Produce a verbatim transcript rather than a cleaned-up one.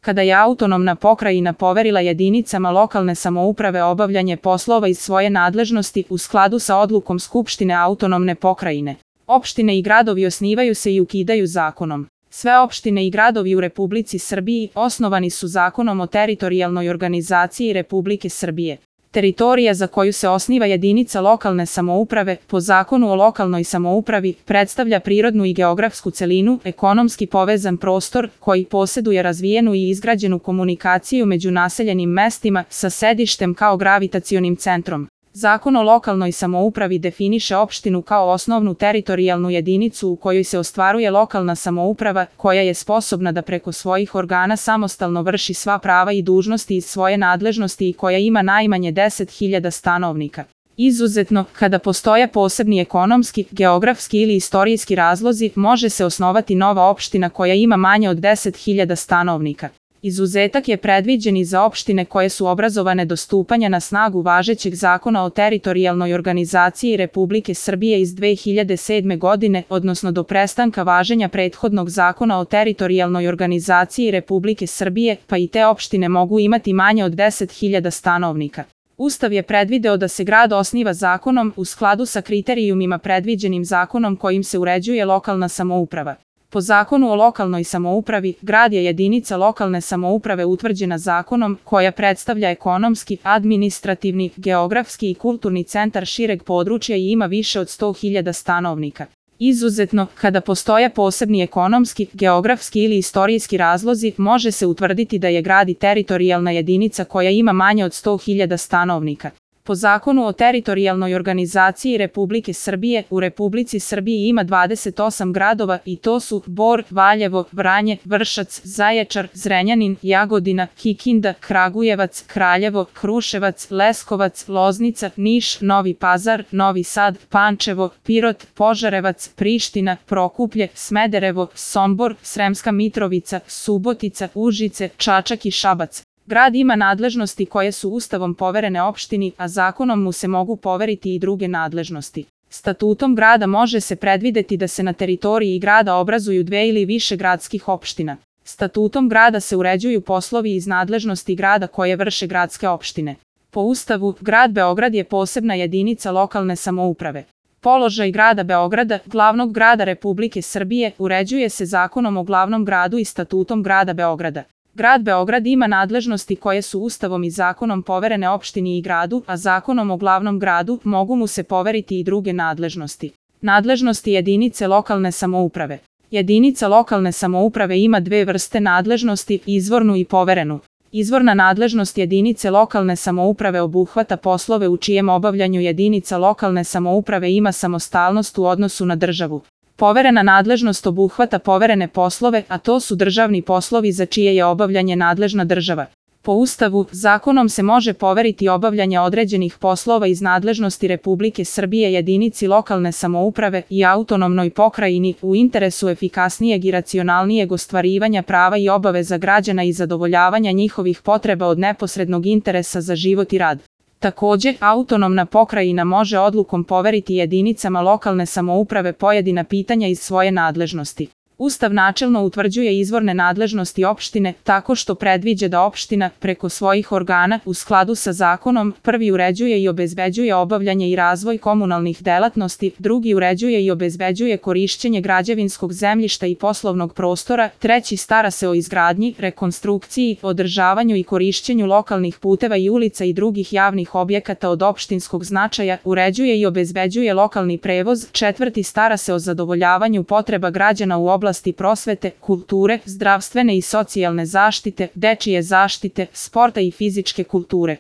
kada je autonomna pokrajina poverila jedinicama lokalne samouprave obavljanje poslova iz svoje nadležnosti u skladu sa odlukom Skupštine autonomne pokrajine. Opštine i gradovi osnivaju se i ukidaju zakonom. Sve opštine i gradovi u Republici Srbiji osnovani su Zakonom o teritorijalnoj organizaciji Republike Srbije. Teritorija za koju se osniva jedinica lokalne samouprave po Zakonu o lokalnoj samoupravi predstavlja prirodnu i geografsku celinu, ekonomski povezan prostor koji poseduje razvijenu i izgrađenu komunikaciju među naseljenim mestima sa sedištem kao gravitacionim centrom. Zakon o lokalnoj samoupravi definiše opštinu kao osnovnu teritorijalnu jedinicu u kojoj se ostvaruje lokalna samouprava koja je sposobna da preko svojih organa samostalno vrši sva prava i dužnosti iz svoje nadležnosti i koja ima najmanje deset hiljada stanovnika. Izuzetno, kada postoje posebni ekonomski, geografski ili istorijski razlozi, može se osnovati nova opština koja ima manje od deset hiljada stanovnika. Izuzetak je predviđen i za opštine koje su obrazovane do stupanja na snagu važećeg Zakona o teritorijalnoj organizaciji Republike Srbije iz dve hiljade sedme. godine, odnosno do prestanka važenja prethodnog Zakona o teritorijalnoj organizaciji Republike Srbije, pa i te opštine mogu imati manje od deset hiljada stanovnika. Ustav je predvideo da se grad osniva zakonom u skladu sa kriterijumima predviđenim zakonom kojim se uređuje lokalna samouprava. Po Zakonu o lokalnoj samoupravi, grad je jedinica lokalne samouprave utvrđena zakonom koja predstavlja ekonomski, administrativni, geografski i kulturni centar šireg područja i ima više od sto hiljada stanovnika. Izuzetno, kada postoje posebni ekonomski, geografski ili istorijski razlozi, može se utvrditi da je grad i teritorijalna jedinica koja ima manje od sto hiljada stanovnika. Po Zakonu o teritorijalnoj organizaciji Republike Srbije, u Republici Srbiji ima dvadeset osam gradova i to su Bor, Valjevo, Vranje, Vršac, Zaječar, Zrenjanin, Jagodina, Kikinda, Kragujevac, Kraljevo, Kruševac, Leskovac, Loznica, Niš, Novi Pazar, Novi Sad, Pančevo, Pirot, Požarevac, Priština, Prokuplje, Smederevo, Sombor, Sremska Mitrovica, Subotica, Užice, Čačak i Šabac. Grad ima nadležnosti koje su Ustavom poverene opštini, a zakonom mu se mogu poveriti i druge nadležnosti. Statutom grada može se predvideti da se na teritoriji grada obrazuju dve ili više gradskih opština. Statutom grada se uređuju poslovi iz nadležnosti grada koje vrše gradske opštine. Po Ustavu, grad Beograd je posebna jedinica lokalne samouprave. Položaj grada Beograda, glavnog grada Republike Srbije, uređuje se Zakonom o glavnom gradu i Statutom grada Beograda. Grad Beograd ima nadležnosti koje su Ustavom i zakonom poverene opštini i gradu, a Zakonom o glavnom gradu mogu mu se poveriti i druge nadležnosti. Nadležnosti jedinice lokalne samouprave. Jedinica lokalne samouprave ima dve vrste nadležnosti, izvornu i poverenu. Izvorna nadležnost jedinice lokalne samouprave obuhvata poslove u čijem obavljanju jedinica lokalne samouprave ima samostalnost u odnosu na državu. Poverena nadležnost obuhvata poverene poslove, a to su državni poslovi za čije je obavljanje nadležna država. Po Ustavu, zakonom se može poveriti obavljanje određenih poslova iz nadležnosti Republike Srbije jedinici lokalne samouprave i autonomnoj pokrajini u interesu efikasnijeg i racionalnijeg ostvarivanja prava i obaveza građana i zadovoljavanja njihovih potreba od neposrednog interesa za život i rad. Takođe, autonomna pokrajina može odlukom poveriti jedinicama lokalne samouprave pojedina pitanja iz svoje nadležnosti. Ustav načelno utvrđuje izvorne nadležnosti opštine tako što predviđa da opština, preko svojih organa, u skladu sa zakonom, prvi uređuje i obezbeđuje obavljanje i razvoj komunalnih delatnosti, drugi uređuje i obezbeđuje korišćenje građevinskog zemljišta i poslovnog prostora, treći stara se o izgradnji, rekonstrukciji, održavanju i korišćenju lokalnih puteva i ulica i drugih javnih objekata od opštinskog značaja, uređuje i obezbeđuje lokalni prevoz, četvrti stara se o zadovoljavanju potreba građana u oblasti prosvete, kulture, zdravstvene i socijalne zaštite, dečije zaštite, sporta i fizičke kulture.